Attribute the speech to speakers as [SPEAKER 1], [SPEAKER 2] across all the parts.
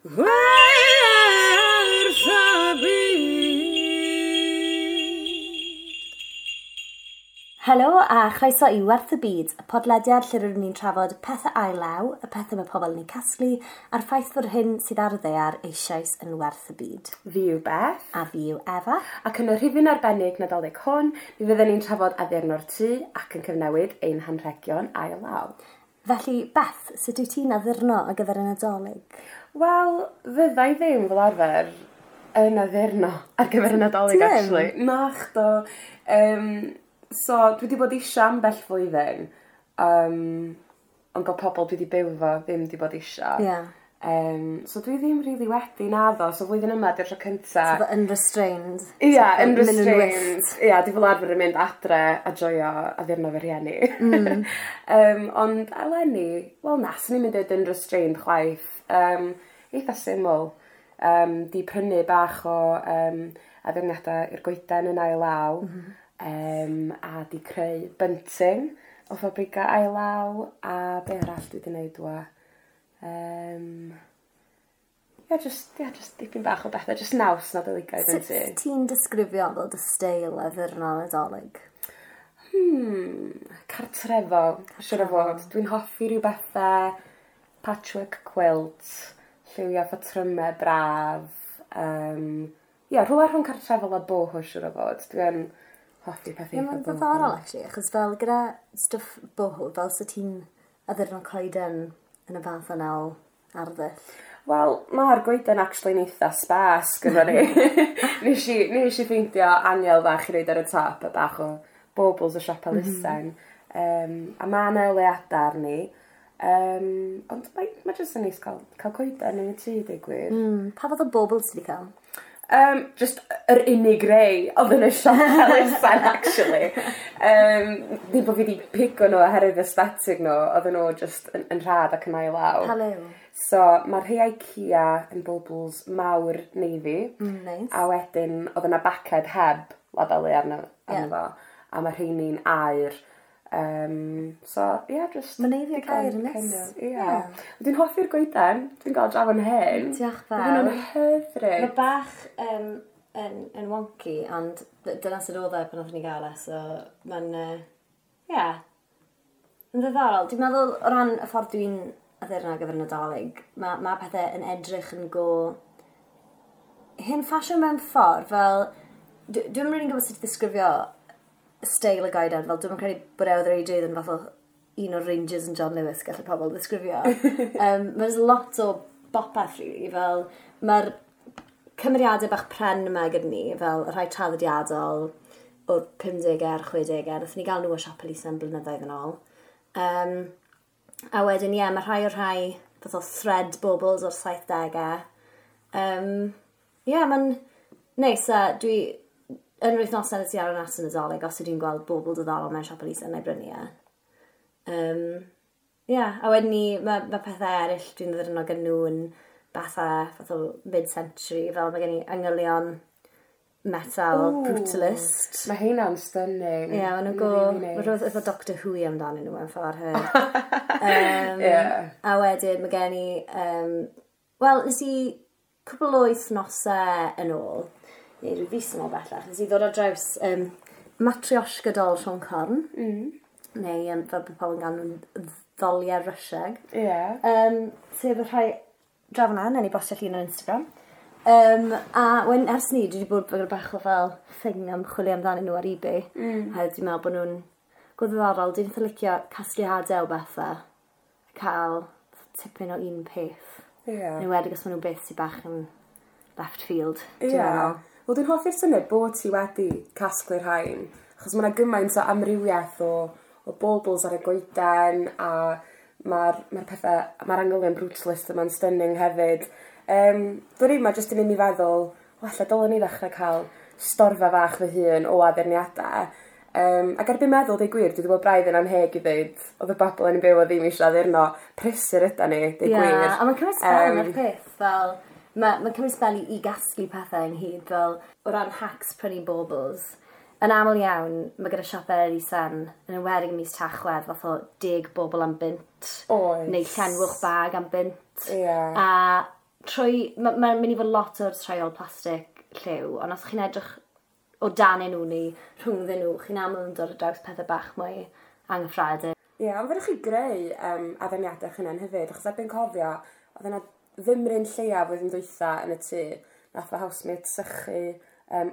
[SPEAKER 1] Werth y byd.
[SPEAKER 2] Helo a chroeso i Werth y Byd, y podlediad lle rydyn ni'n trafod pethau ail-law, y pethau mae pobl yn eu casglu, a'r ffaith fod hyn sydd ar y ddaear eisoes yn werth y byd.
[SPEAKER 3] Fi yw Beth.
[SPEAKER 2] A fi yw Efa.
[SPEAKER 3] Ac yn y rhifyn arbennig Nadolig hwn, mi fyddwn ni'n trafod addurno'r tŷ ac yn cyfnewid ein hanrhegion ail law.
[SPEAKER 2] Felly, Beth, sut wyt ti'n addurno ar gyfer y Nadolig?
[SPEAKER 3] Wel, fydda i ddim fel arfer yn addurno ar gyfer y Nadolig,
[SPEAKER 2] Ti ddim?
[SPEAKER 3] actually. Nachdo. So, dwi wedi bod eisiau ambell flwyddyn, ond bod pobl dwi wedi byw efo ddim wedi bod eisiau.
[SPEAKER 2] Ie.
[SPEAKER 3] So dwi ddim really wedi naddo, so flwyddyn yma di'r tro cynta.
[SPEAKER 2] So, unrestrained.
[SPEAKER 3] Ia,
[SPEAKER 2] So, mynd yn
[SPEAKER 3] unrestrained.
[SPEAKER 2] wyllt.
[SPEAKER 3] Ia, dwi fel arfer yn mynd adre a joio addurno fy rhieni. Ond eleni, wel na, swn i'n mynd i unrestrained chwaith. Eitha syml. Di prynu bach o addurniadau i'r goeden yn ail law. A di creu bunting o ffabrica ail law. A be arall dwi wedi gwneud wa? Ia, just dipyn bach o bethau, just naws Nadoligaidd yn
[SPEAKER 2] Sut
[SPEAKER 3] ti.
[SPEAKER 2] ti'n disgrifio fel dy steil addurno Nadolig?
[SPEAKER 3] Cartrefol, siwr o fod. Dwi'n hoffi rhyw bethau patchwork quilt, lliwiau patrymau braf. Ia, rhywle rhwng cartrefol a boho, siwr o fod. Dwi'n hoffi pethau
[SPEAKER 2] Ie,
[SPEAKER 3] eitha
[SPEAKER 2] mae'n
[SPEAKER 3] boho.
[SPEAKER 2] ddiddorol, actually, achos fel gyda stwff boho, fel sut ti'n addurno coeden yn y fath yna o arddull.
[SPEAKER 3] Wel, mae'r goeden actually'n eitha sparse gyda ni. Nes i ffeindio aniel fach i roid ar y top a bach o baubles o siop elusen. A mae yna oleuadau arni. Ond mae jyst yn neis cael coeden yn y tŷ, deud gwir.
[SPEAKER 2] Pa fath o bobl ti wedi cael?
[SPEAKER 3] Just yr unig rei oedd yn y siop elusen, actually. Ddim bod fi wedi pigo nhw oherwydd aesthetic nhw, oedden nhw just yn rhad ac yn ail law.
[SPEAKER 2] Pa liw?
[SPEAKER 3] So, mae rhai IKEA yn baubles mawr navy.
[SPEAKER 2] Nice.
[SPEAKER 3] A wedyn, oedd yna baced heb labelu arno fo. A mae rheini'n aur. So, yeah, just
[SPEAKER 2] Ma' navy ac
[SPEAKER 3] digon
[SPEAKER 2] aur yn neis.
[SPEAKER 3] kind of, ie. Dwi'n hoffi'r goeden. Dwi'n gael draw yn hyn.
[SPEAKER 2] Diolch
[SPEAKER 3] Mae hwnna'n
[SPEAKER 2] fawr.
[SPEAKER 3] hyfryd.
[SPEAKER 2] Mae bach yn wonky, ond dyna sut oedd e pan oeddwn ni gael e, so mae'n, yeah, yn ddiddorol. Dwi'n meddwl, o ran y ffordd dwi'n addurno ar gyfer y Nadolig, mae pethau yn edrych yn go hen ffasiwn mewn ffordd, fel, dwi'm rili'n gwybod sut i ddisgrifio steil y goeden, fel dwi'm yn credu bod e oedd reidrwydd yn fath o un o'r ranges yn John Lewis gallu pobl ddisgrifio. There's lot o bopeth, really, fel mae'r cymeriadau bach pren yma gyda ni, fel y rhai traddodiadol o'r 50au a'r 60au, nathon ni gael nhw o siop elusen blynyddoedd yn ôl. A wedyn, ie, mae rhai o'r rhai fath o thread baubles o'r 70au. Ie, mae'n neis, a dwi yn yr wythnosau nes i ar y nas yn y Nadolig, os ydw i'n gweld bobl diddorol mewn siop elusen, na i brynu e. Ie, a wedyn ni, mae pethau eraill dwi'n ddyrnog gyda nhw yn bethau fath o mid-century, fel mae gen i angylion metal
[SPEAKER 3] Ooh.
[SPEAKER 2] brutalist.
[SPEAKER 3] Mae heina'n stunning.
[SPEAKER 2] Ie, maen nhw'n go...
[SPEAKER 3] Really
[SPEAKER 2] Mae
[SPEAKER 3] nice.
[SPEAKER 2] rhywbeth efo Doctor Who i amdanyn nhw mewn ffordd hefyd. A wedyn mae gen i... Wel, nes i cwpl o wythnosau yn ôl, neu rhyw fis yn ôl bellach, nes i ddod ar draws Matryoshka doll Siôn Corn. Neu fel bod pobl yn galw nhw'n ddoliau Rwsieg. Sef y rhai draw fan'na, newn ni bostio llun ar Instagram. A wedyn ers ni, dwi wedi bod fel bach o fel thing am chwilio amdanyn nhw ar eBay. A dwi'n meddwl bod nhw'n go ddiddorol. Dwi'n eitha licio casgliadau o bethau. Cael tipyn o un peth. Yn enwedig os maen nhw'n beth sydd bach yn left field. Dwi'n meddwl.
[SPEAKER 3] Wel, dwi'n hoffi'r syniad bod ti wedi casglu'r rhain, achos mae yna gymaint o amrywiaeth o baubles ar y goeden, a mae'r pethau, mae'r angylion brutalist yma'n stunning hefyd. Dwi'n rhaid, mae jyst yn mynd i feddwl, o, ella dylwn ni ddechrau cael storfa fach fy hun o addurniadau. Ac erbyn meddwl, deud gwir, dwi wedi bod braidd yn anheg i ddeud, oedd y bobl yn byw o ddim eisiau addurno, prysur yda ni, deud
[SPEAKER 2] Ie,
[SPEAKER 3] gwir.
[SPEAKER 2] a mae'n cymryd sbel yn yr peth, fel, mae'n cymryd sbel i gasglu pethau ynghyd, fel o ran hacks prynu baubles. Yn aml iawn, mae gyda siopau elusen, yn enwedig ym mis Tachwedd, fath o 10 bobl am bunt.
[SPEAKER 3] Oes.
[SPEAKER 2] Neu llenwch bag am bunt.
[SPEAKER 3] Ie.
[SPEAKER 2] A Trwy, mae'n ma mynd i fod lot o'r trial plastig lliw, ond os chi'n edrych o dan nhw neu rhwngddyn nhw, chi'n aml yn dod ar draws pethau bach mwy anghyffredin.
[SPEAKER 3] Ie, yeah, ond fedrwch chi greu addurniadau eich hunain hefyd, achos erbyn cofio, oedd yna fymryn lleia flwyddyn dwytha yn y tŷ, nath fy housemate sychu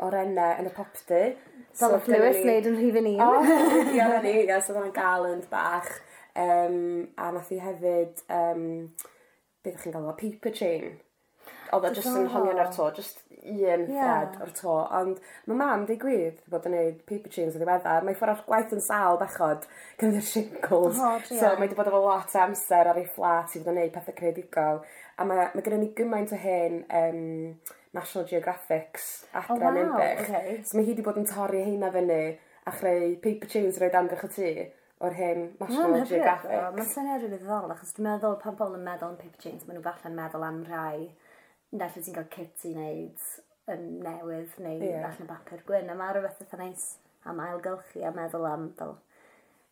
[SPEAKER 3] orennau yn y popty.
[SPEAKER 2] Fel so, Lewis wneud yn rhifyn un.
[SPEAKER 3] O, ie, na ni, ie, so oedd hwnna'n garland bach. A nath hi hefyd, beth ydych chi'n galw o, paper chain. Oedd o just yn hongian ar to, just un thread o'r to. Ond mae mam, deud gwir, wedi bod yn gwneud paper chains yn ddiweddar. Mae ffordd o'r gwaith yn sâl bechod, gyda'r shingles.
[SPEAKER 2] Oh,
[SPEAKER 3] so mae wedi bod efo lot o amser ar ei fflat i fod yn gwneud pethau creadigol. A mae gennym ni gymaint o hen National Geographics adre
[SPEAKER 2] Oh,
[SPEAKER 3] yn
[SPEAKER 2] waw,
[SPEAKER 3] Ninbych.
[SPEAKER 2] ocê.
[SPEAKER 3] So mae hi wedi bod yn torri heina fyny a chreu paper chains i roid amgylch y tŷ o'r hen National Geographic.
[SPEAKER 2] Mae'n syniad rili ddiddorol, achos dwi'n meddwl pan pobl yn meddwl am paper chains, maen nhw falle'n meddwl am rhai neu lle ti'n cael kit i wneud yn newydd neu allan o bapur gwyn. A mae rhywbeth eitha neis am ailgylchu a meddwl am fel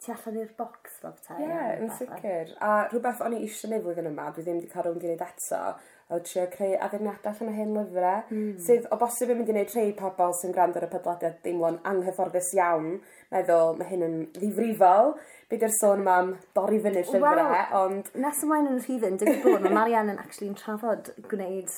[SPEAKER 2] tu allan i'r bocs fel petai.
[SPEAKER 3] Ie, yeah, yn sicr. A rhywbeth o'n i eisiau gwneud flwyddyn yma, dwi ddim wedi cael rownd i wneud eto, oedd trio creu addurniadau allan o hen lyfrau, sydd o bosib yn mynd i wneud rhai pobl sy'n gwrando ar y podlediad deimlo'n anghyfforddus iawn, meddwl mae hyn yn ddifrifol, be di'r sôn yma am dorri fyny llyfrau,
[SPEAKER 2] Wel,
[SPEAKER 3] ond
[SPEAKER 2] Nes ymlaen yn y rhifyn, digwydd bod, mae Marianne yn actually'n trafod gwneud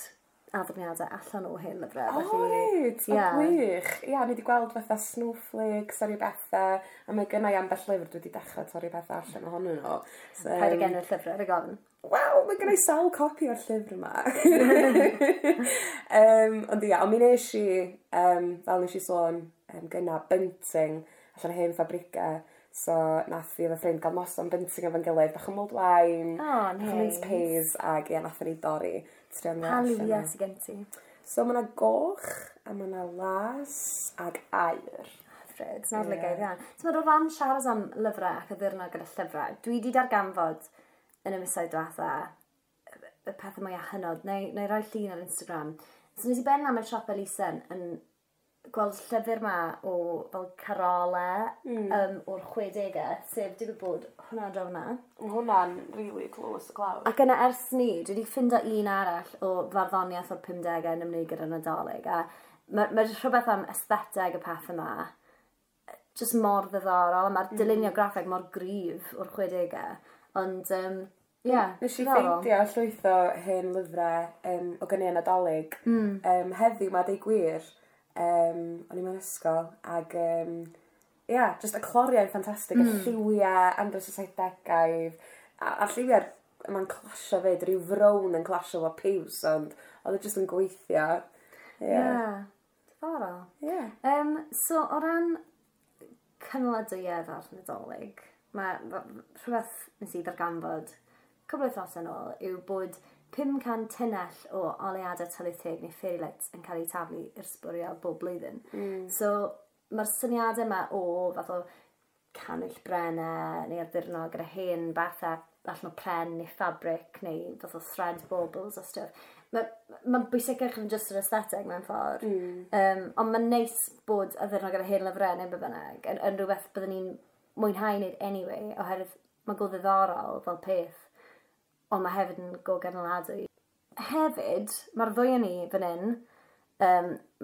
[SPEAKER 2] addurniadau allan o hen lyfrau.
[SPEAKER 3] O, reit, o gwych. Ia, ni wedi gweld fatha snowflakes a rhyw bethau, a mae gynna i ambell lyfr dwi wedi dechrau torri pethau allan ohonyn nhw. So,
[SPEAKER 2] Paid ag enw'r llyfrau, rhaid gofyn.
[SPEAKER 3] Wel, mae gynna i sawl copi o'r llyfr yma. Ond ia, ond mi nes i, fel nes i sôn gynna, bunting allan o hen ffabrica. So, nath fi efo ffrind gael noson bunting efo'n gilydd, bach o mulled wine,
[SPEAKER 2] O,
[SPEAKER 3] bach o mince
[SPEAKER 2] neis.
[SPEAKER 3] pies, ac ia, nath ni dorri. Trio
[SPEAKER 2] Pa liwiau sydd gen ti?
[SPEAKER 3] So, mae yna goch, a mae yna las, ag aur.
[SPEAKER 2] Hyfryd, nawr yeah. lygaid iawn. Ti'n meddwl, o ran siarad am lyfrau ac addurno gyda llyfrau, dwi wedi darganfod yn y misoedd diwetha y pethau mwyaf hynod, neu roi llun ar Instagram. So nes i benna mewn siop elusen yn gweld llyfr ma o fel carolau o'r 60au, sef digwydd bod hwnna draw hwnna.
[SPEAKER 3] Mae hwnna'n really close y clawr.
[SPEAKER 2] Ac yna ers ni, dwi wedi ffindo un arall o farddoniaeth o'r 50au yn ymwneud gyda'r Nadolig. A mae rhywbeth am aestheteg y peth yma, just mor ddiddorol, a mae'r dylunio graffeg mor gryf o'r 60au. Ond, yeah,
[SPEAKER 3] Nes i
[SPEAKER 2] diddorol.
[SPEAKER 3] ffeindio llwyth o hen lyfrau o gynnau Nadolig. Heddiw ma, deud gwir, o'n i mewn ysgol, ag yeah, just y cloriau'n ffantastig, y lliwiau andros y 70au, a'r lliwiau yma'n clasio fyd, rhyw frown yn clasio efo piws, ond oedd e just yn gweithio. Ie.
[SPEAKER 2] Yeah. Diddorol.
[SPEAKER 3] Yeah.
[SPEAKER 2] So, o ran cynaladwyedd ar Nadolig, mae rhywbeth nes i ddarganfod cwbl o wythnosau yn ôl yw bod 500 tunnell o oleuadau tylwyth teg neu fairy lights yn cael eu taflu i'r sbwriel bob blwyddyn. So, mae'r syniadau yma o fath o canwyll brennau neu addurno gyda hen bethau allan o pren neu fabric neu fath o thread baubles a stuff. Mae'n ma bwysicach yn just yr aesthetic mewn ffordd. Ond mae'n neis bod addurno gyda hen lyfrau neu be bynnag yn rhywbeth byddwn ni'n mwynhau wneud anyway, oherwydd mae'n go ddiddorol fel peth, ond mae hefyd yn go ganaladwy. Hefyd, mae'r ddwy o ni fan hyn,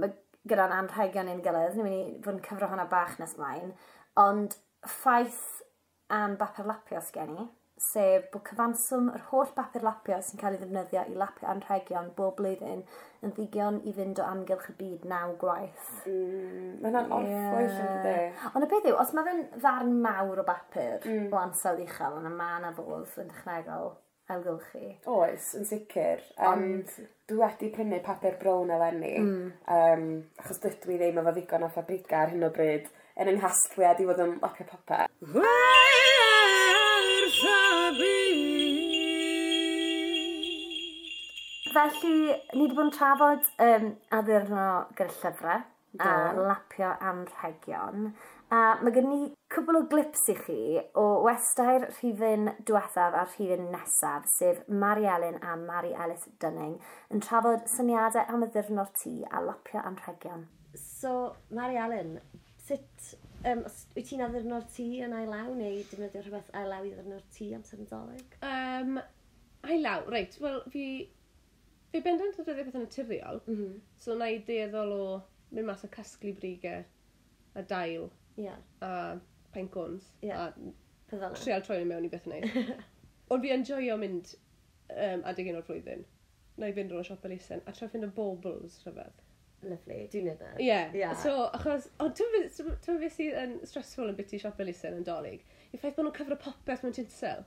[SPEAKER 2] mae gyda'n anrhegion ein gilydd, ni'n mynd i fod yn cyfro hwnna bach nes mlaen, ond ffaith am bapur lapio sgen i, sef bod cyfanswm yr holl bapur lapio sy'n cael ei ddefnyddio i lapio anrhegion bob blwyddyn yn ddigon i fynd o amgylch y byd 9 gwaith.
[SPEAKER 3] Mae hwnna'n orffwyll yn dydi?
[SPEAKER 2] Ond y peth yw, os mae fe'n ddarn mawr o bapur o ansawdd uchel, yna mae yna fodd yn dechnegol ailgylchu.
[SPEAKER 3] Oes, yn sicr. Ond dwi wedi prynu papur brown eleni, achos dydw i ddim efo ddigon o ffabrica ar hyn o bryd yn yng nghasgliad i fod yn lapio popeth.
[SPEAKER 1] Wrth y byd.
[SPEAKER 2] Felly, ni wedi bod yn trafod addurno gyda llyfrau a lapio anrhegion. A mae gen ni cwbl o glips i chi o westau'r rhifyn diwethaf a'r rhifyn nesaf, sef Mari Elin a Mari Ellis Dunning, yn trafod syniadau am addurno'r tŷ a lapio anrhegion. So, Mari Elin, sut, os wyt ti'n addurno'r tŷ yn ail-law neu defnyddio rhywbeth ail-law i addurno'r tŷ amser Nadolig?
[SPEAKER 4] Ail law, reit, wel, fi Fi bendant yn defnyddio pethau naturiol, so na i dueddol o mynd mas a casglu brigau a dail a pine cones a
[SPEAKER 2] Peth fel 'na.
[SPEAKER 4] trial troi nhw mewn i beth neis. Ond fi yn joio mynd adeg hyn o'r flwyddyn. Na i fynd o'r siop elusen a trio ffindo baubles rhyfedd.
[SPEAKER 2] Lovely, dwi'n neud na.
[SPEAKER 4] Ie. Yeah. So, achos, ond ti'n beth sydd yn stressful yn biti siop elusen yn Dolig? Yw'r ffaith bod nhw'n cyfro popeth mewn tinsel.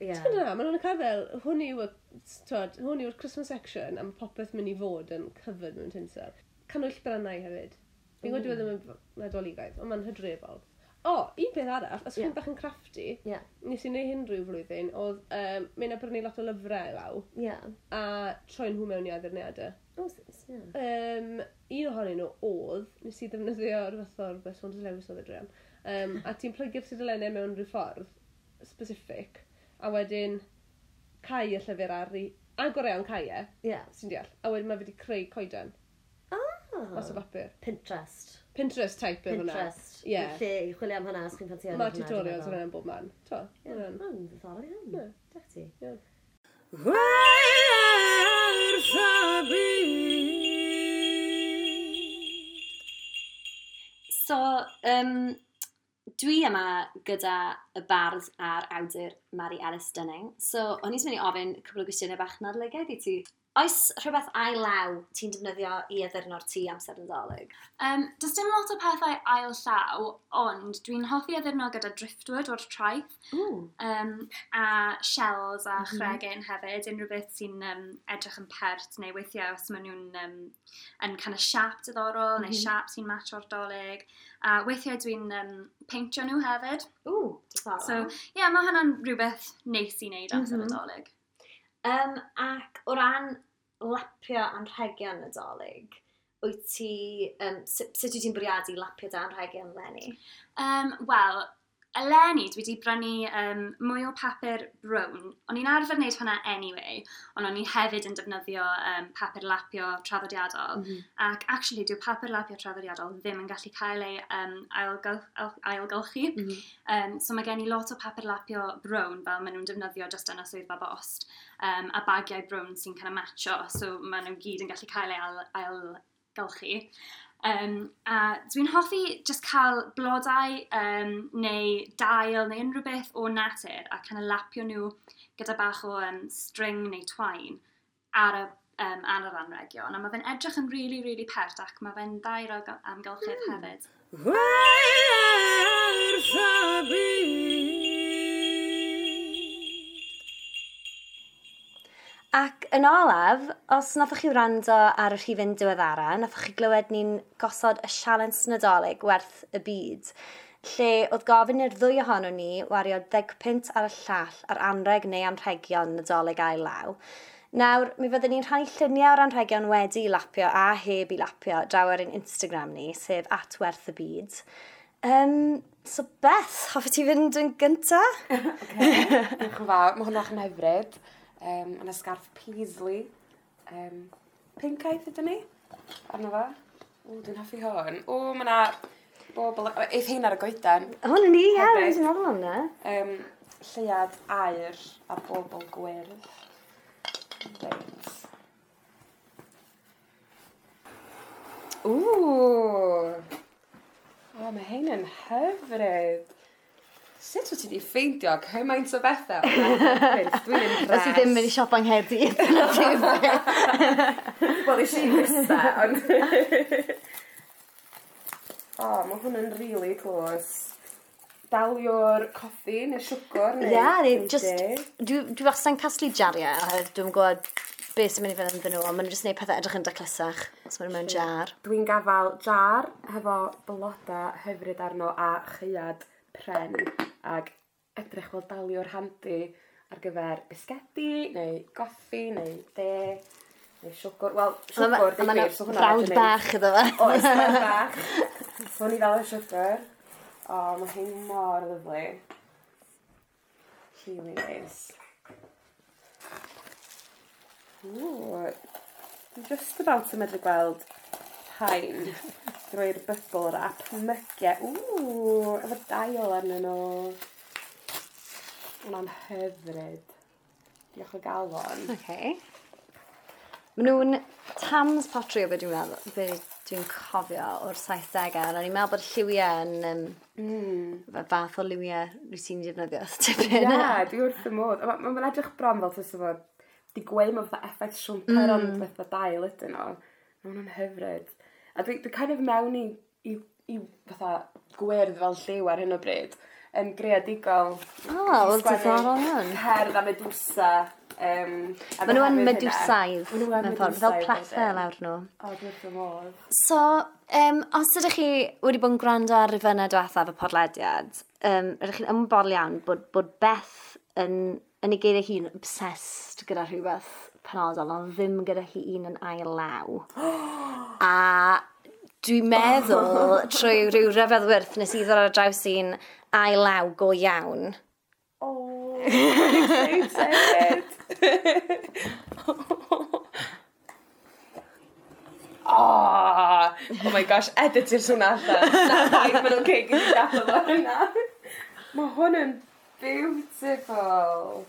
[SPEAKER 4] Ti'n na, maen nhw'n cael fel, hwn yw, twod, hwn yw'r Christmas section a mae popeth mynd i fod yn covered mewn tinsel. Cannwyll brannau hefyd. Fi'n gwybod dyw e ddim yn Nadoligaidd, ond mae'n hydrefol. O, un peth arall, os chi'n bach yn crafty, nes i wneud hyn rhyw flwyddyn, oedd mynd a brynu lot o lyfrau law, a troi nhw mewn i addurniadau.
[SPEAKER 2] O, ie.
[SPEAKER 4] Un ohonyn nhw oedd, nes i ddefnyddio rhywbeth o'r beth Saunders Lewis oedd e druan, a ti'n plygu'r tudalennau mewn rhyw ffordd specific, a wedyn cau y llyfr ar ei... Agor e ond cau e, sy'n deall. A wedyn mae fe wedi creu coeden mas o bapur.
[SPEAKER 2] Pinterest.
[SPEAKER 4] Pinterest type yw hwnna.
[SPEAKER 2] Pinterest.
[SPEAKER 4] Ie.
[SPEAKER 2] Lle i chwilio am hwnna os chi'n ffansio
[SPEAKER 4] Mae tutorials yn hwnna'n bob man. To,
[SPEAKER 2] Ie,
[SPEAKER 4] hwnna'n-
[SPEAKER 2] mae'n ddiddorol iawn.
[SPEAKER 4] Ie.
[SPEAKER 2] Diolch ti.
[SPEAKER 4] Iawn.
[SPEAKER 1] Werth y byd.
[SPEAKER 2] So, dwi yma gyda y bardd a'r awdur Mari Ellis Dunning. So, o'n i'n mynd i ofyn cwpl o gwestiynau bach nadoligaidd i ti. Oes rhywbeth ail law ti'n defnyddio i addurno'r tŷ amser Nadolig?
[SPEAKER 5] Does dim lot o pethau ail llaw, ond dwi'n hoffi addurno gyda driftwood o'r traeth. A shells a chregyn hefyd, unrhyw beth sy'n edrych yn pert, neu weithiau os maen nhw'n yn kind of siap diddorol, neu siap sy'n match o'r Dolig. A weithiau dwi'n peintio nhw hefyd.
[SPEAKER 2] Ww, diddorol.
[SPEAKER 5] So, ie, yeah, mae hwnna'n rhywbeth neis i wneud amser y Dolig.
[SPEAKER 2] Ac o ran lapio anrhegion Nadolig, wyt ti, sut wyt ti'n bwriadu lapio dy anrhegion eleni?
[SPEAKER 5] Wel, eleni dwi wedi brynu mwy o papur brown. O'n i'n arfer wneud hwnna anyway, ond o'n i hefyd yn defnyddio papur lapio traddodiadol. Ac actually, dyw papur lapio traddodiadol ddim yn gallu cael ei ailgylchu. So mae gen i lot o papur lapio brown, fel maen nhw'n defnyddio just yn y swyddfa bost, a bagiau brown sy'n kind of matcho, so maen nhw gyd yn gallu cael ei ailgylchu. A dwi'n hoffi just cael blodau neu dail neu unrhyw beth o natur a kind of lapio nhw gyda bach o string neu twine ar yr anregion. A mae fe'n edrych yn really, really pert ac mae fe'n dda i'r amgylchedd hefyd.
[SPEAKER 1] Werth y byd.
[SPEAKER 2] Ac yn olaf, os nathoch chi wrando ar y rhifyn diweddara, nathoch chi glywed ni'n gosod y sialens Nadolig werth y byd, lle oedd gofyn i'r ddwy ohonon ni wario 10 punt ar y llall ar anreg neu anrhegion Nadolig ail law. Nawr, mi fyddwn ni'n rhannu lluniau o'r anrhegion wedi i lapio a heb i lapio draw ar ein Instagram ni, sef @werthybyd. So Beth, hoffet ti fynd yn gynta?
[SPEAKER 3] Diolch yn fawr. Mae hwnna'n hyfryd. Yna sgarff paisley. Pincaidd ydyn ni? Arno fo. O, dwi'n hoffi hwn. O, mae yna bobl. Eith hein ar y goeden.
[SPEAKER 2] Hwn yn ni, ie,
[SPEAKER 3] Hyfryd.
[SPEAKER 2] dwi'n meddwl am hwnna.
[SPEAKER 3] Lleuad aur a bobl gwyrdd. Reit. Ww! O, mae hein yn hyfryd. Sut wyt ti wedi ffeindio cymaint o bethau? Dwi'n impressed.
[SPEAKER 2] Os i ddim mynd i siop yng Nghaerdydd.
[SPEAKER 3] Wel, eisiau i fista, ond... O, mae hwn yn really close. Daliwr coffi neu siwgr neu...
[SPEAKER 2] Ie, neu
[SPEAKER 3] neu
[SPEAKER 2] just...
[SPEAKER 3] de.
[SPEAKER 2] Dwi wastad yn casglu jariau, oherwydd dwi'n gwybod beth sy'n mynd i fynd ynddyn nhw, ond maen nhw jyst yn gwneud pethau edrych yn daclusach, os maen nhw mewn jar.
[SPEAKER 3] Dwi'n gafal jar hefo bloda hyfryd arno a chaead pren ac edrych fel daliwr handi ar gyfer bisgedi neu goffi neu de neu siwgr. Wel, siwgr,
[SPEAKER 2] A
[SPEAKER 3] deud
[SPEAKER 2] ma' 'na
[SPEAKER 3] gwir, so hwnna
[SPEAKER 2] frawd bach iddo fe.
[SPEAKER 3] Oes, brawd bach. So hwn i fel y siwgr. O, mae hi'n mor lyfli. Really nice. Ww, dwi just about yn medru gweld rhain drwy'r bubble wrap. Mygiau. Ww, efo dail arnyn nhw. Hwna'n hyfryd. Diolch o galon.
[SPEAKER 2] Okay. Maen nhw'n Tams Pottery o beth dwi'n meddwl, be dwi'n cofio o'r 70au, ond o'n i'n meddwl bod lliwiau yn fath o liwiau rwyt ti'n defnyddio tipyn.
[SPEAKER 3] Ie, yeah, dwi wrth y modd. Mae'n ma edrych bron fel tysa fo di gweud mae fatha effaith siwmper ond fatha dail ydyn nhw. Mae hwnna'n hyfryd. A dwi kind of mewn i fatha gwyrdd fel lliw ar hyn o bryd yn greadigol.
[SPEAKER 2] O, wel, diddorol iawn.
[SPEAKER 3] Cerdd a Medusa.
[SPEAKER 2] Maen nhw yn medusaidd, mewn ffordd, fel plethe lawr nhw.
[SPEAKER 3] O, dwi wrth fy modd.
[SPEAKER 2] So, os ydych chi wedi bod yn gwrando ar rifynnau diwethaf y podlediad, ydych chi'n ymwybodol iawn bod Beth yn ei geiriau hun obsessed gyda rhywbeth penodol, ond ddim gyda hi un yn ail law. A dwi'n meddwl, trwy rhyw ryfedd wyrth, nes i ddod ar draws un ail law go iawn.
[SPEAKER 3] Oh, excited! Oh, oh my gosh, edit i'r swn allan. Mae'n oce, gyd i gadael fo hynna. Mae hwn yn beautiful.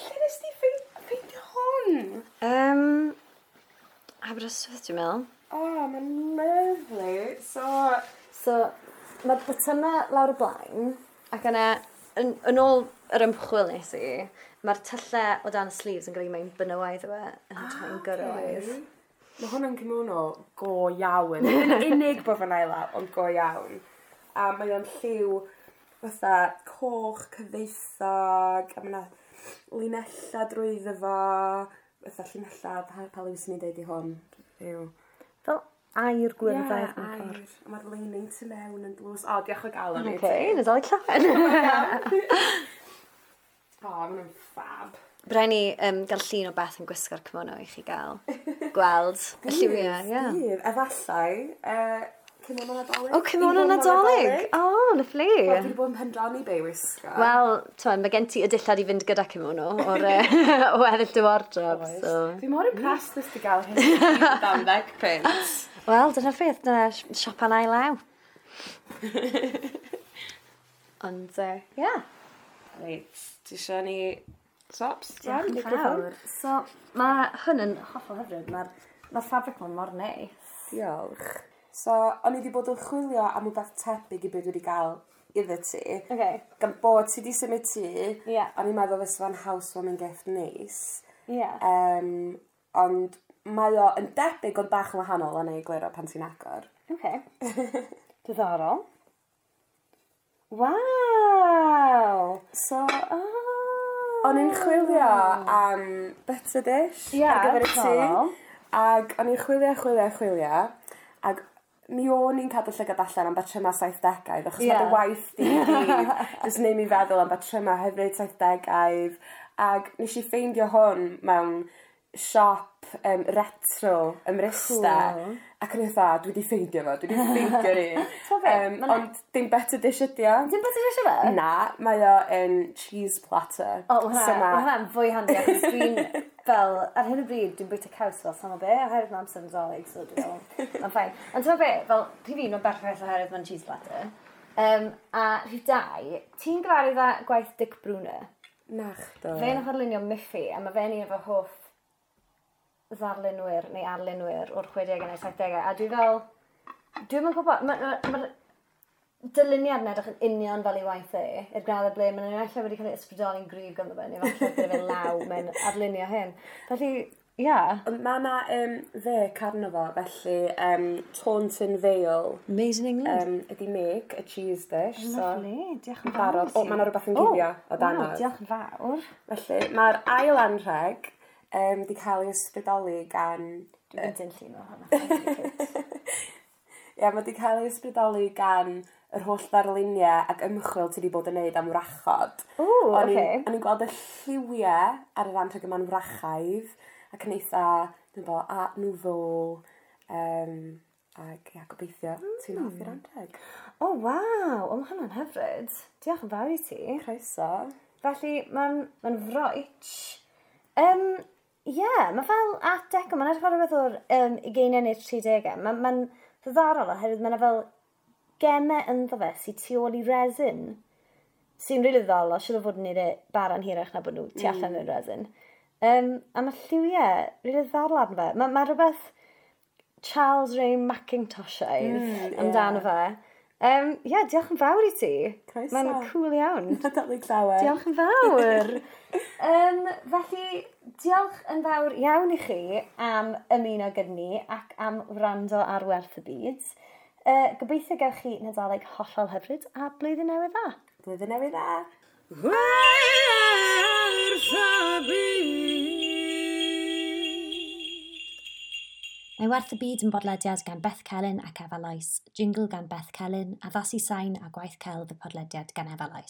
[SPEAKER 3] Lle nes ti ffeindio hwn?
[SPEAKER 2] Aberystwyth, dwi'n meddwl.
[SPEAKER 3] Oh, mae'n lovely.
[SPEAKER 2] So mae'r botymau lawr y blaen, ac yna, yn ôl yr ymchwil nes i, mae'r tyllau o dan y sleeves yn golygu mae'n benywaidd yw e, yn hytrach na'n gyrywaidd.
[SPEAKER 3] Mae hwn yn kimono go iawn. Yn unig bod fe'n ail law, ond go iawn. A mae o'n lliw fatha coch cyfoethog, a mae yna linella drwyddo fo, fatha llinella, pa liw sy'n ni'n deud i hwn? Yw.
[SPEAKER 2] Fel aur gwyrddaidd mewn
[SPEAKER 3] aur.
[SPEAKER 2] ffordd.
[SPEAKER 3] A mae'r lining tu mewn yn dlws. O, diolch o galon i
[SPEAKER 2] Oce,
[SPEAKER 3] ti.
[SPEAKER 2] Nadolig llawen.
[SPEAKER 3] O, maen nhw'n fab.
[SPEAKER 2] Bydd ni gael llun o Beth yn gwisgo'r kimono i chi gael gweld y lliwiau. Ie.
[SPEAKER 3] Bydd, efallai, kimono Nadolig.
[SPEAKER 2] O, kimono Nadolig! O, lyfli.
[SPEAKER 3] Wel, dwi wedi bod yn pendroni be i wisgo.
[SPEAKER 2] Wel, t'mod, mae gen ti y dillad i fynd gyda kimono o'r o weddill dy wardrobe.
[SPEAKER 3] Oes.
[SPEAKER 2] So.
[SPEAKER 3] Dwi mor impressed nes ti gael hyn i gyd am 10 punt.
[SPEAKER 2] Wel, dyna'r peth, dyna siopa'n ail law. Ond, ie. Yeah.
[SPEAKER 3] Reit, ti eisiau ni swaps?
[SPEAKER 2] Diolch yn fawr. So, mae hwn yn hollol hyfryd. Mae'r ma ffabric ma'n mor neis.
[SPEAKER 3] Diolch. So, o'n i wedi bod yn chwilio am rhywbeth tebyg i beth dwi wedi gael iddo ti.
[SPEAKER 2] Okay.
[SPEAKER 3] Gan bod ti wedi symud tŷ,
[SPEAKER 2] Ie.
[SPEAKER 3] o'n i'n meddwl fysa fo'n haws fo'n mynd gift neis.
[SPEAKER 2] Ie.
[SPEAKER 3] Ond mae o yn debyg ond bach yn wahanol o'n ei egluro pan ti'n agor.
[SPEAKER 2] Okay. Diddorol. Waw!
[SPEAKER 3] So,
[SPEAKER 2] Oh.
[SPEAKER 3] o'n i'n chwilio am butter dish
[SPEAKER 2] Ie,
[SPEAKER 3] ar gyfer y tŷ.
[SPEAKER 2] diddorol.
[SPEAKER 3] Ac o'n i'n chwilio, chwilio, chwilio. Ac mi o'n i'n cadw llygad allan am batryma 70au, achos mae dy waith di i gyd jyst neud mi feddwl am batryma hyfryd 70au. Ac nes i ffeindio hwn mewn siop retro ym Mryste.
[SPEAKER 2] Cool.
[SPEAKER 3] Ac o'n i fatha, dwi wedi ffeindio fo, dwi wedi ffeindio'r un.
[SPEAKER 2] T'mo' be'? Ma'n-
[SPEAKER 3] Ond dim butter dish ydi o.
[SPEAKER 2] Dim butter dish yw e?
[SPEAKER 3] Na, mae o yn cheese platter.
[SPEAKER 2] O, ma'
[SPEAKER 3] So
[SPEAKER 2] hwnna, ma' hwnna'n fwy handi achos dwi'n fel, ar hyn o bryd, dwi'n bwyta caws fel sama be, oherwydd mae amser Nadolig, so dwi'n fel, mae'n fine. Ond ti'n be, fel, rhif un, mae'n berffaith oherwydd mae'n cheese platter. A rhif dau, ti'n gyfarwydd â gwaith Dick Bruner?
[SPEAKER 3] Nachdo.
[SPEAKER 2] Fe nath arlunio Miffy, a mae fe'n un o fy hoff ddarlunwyr neu arlunwyr o'r 60au neu 70au, a dwi fel, dwi'm yn gwybod, mae'r ma, ma dyluniad yn edrych yn union fel ei waith e, i'r graddau ble maen nhw'n ella wedi cael ei ysbrydoli'n gryf ganddo fe, neu falle gyda fe law mewn arlunio hyn. Felly, ie. Yeah.
[SPEAKER 3] Ond mae yna fec arno fo, felly Taunton Vale
[SPEAKER 2] Made in England.
[SPEAKER 3] ydy make, a cheese dish.
[SPEAKER 2] Lovely, diolch yn fawr.
[SPEAKER 3] Barod. O, ma' 'na rwbeth yn guddio o dan
[SPEAKER 2] Waw,
[SPEAKER 3] o.
[SPEAKER 2] diolch yn fawr.
[SPEAKER 3] Felly, mae'r ail anrheg di cael ei ysbrydoli gan...
[SPEAKER 2] Dwi'n mynd yn llun o hwnna.
[SPEAKER 3] Ie, mae di cael ei ysbrydoli gan yr holl ddarluniau ac ymchwil ti wedi bod yn neud am wrachod.
[SPEAKER 2] Ww, ocê.
[SPEAKER 3] O'n i'n gweld y lliwiau ar yr anrheg yma'n wrachaidd ac yn eitha, dwi'n bod, Art Nouveau, ac ia, gobeithio ti'n hoffi'r anrheg.
[SPEAKER 2] O, waw, o, mae hwnna'n hyfryd. Diolch yn fawr i ti.
[SPEAKER 3] Croeso.
[SPEAKER 2] Felly, mae'n ma froich. Yeah, mae fel Art Deco, mae'n edrych fel rhywbeth o'r 20au neu'r 30au. Mae'n ma ddiddorol oherwydd mae'n fel gemau ynddo fe sy'n tu ôl i resin. Sy'n rili ddiddorol, siŵr o fod yn neud e bara'n hirach na bod nhw tu allan i'r resin. A mae lliwiau rili ddiddorol arno fe. Mae rhywbeth Charles Ray Mackintoshaidd amdano fe. Yeah, diolch yn fawr i ti.
[SPEAKER 3] Croeso.
[SPEAKER 2] Mae'n cool iawn.
[SPEAKER 3] Nadolig llawer.
[SPEAKER 2] Diolch yn fawr. Felly, diolch yn fawr iawn i chi am ymuno gyda ni ac am wrando ar Werth y Byd. Gobeithio gewch chi Nadolig hollol hyfryd a blwyddyn newydd dda.
[SPEAKER 3] Blwyddyn newydd dda.
[SPEAKER 1] Werth y byd.
[SPEAKER 2] Mae Werth y Byd yn bodlediad gan Beth Celyn ac Efa Lois, jingle gan Beth Celyn, addasu sain a gwaith celf y podlediad gan Efa Lois.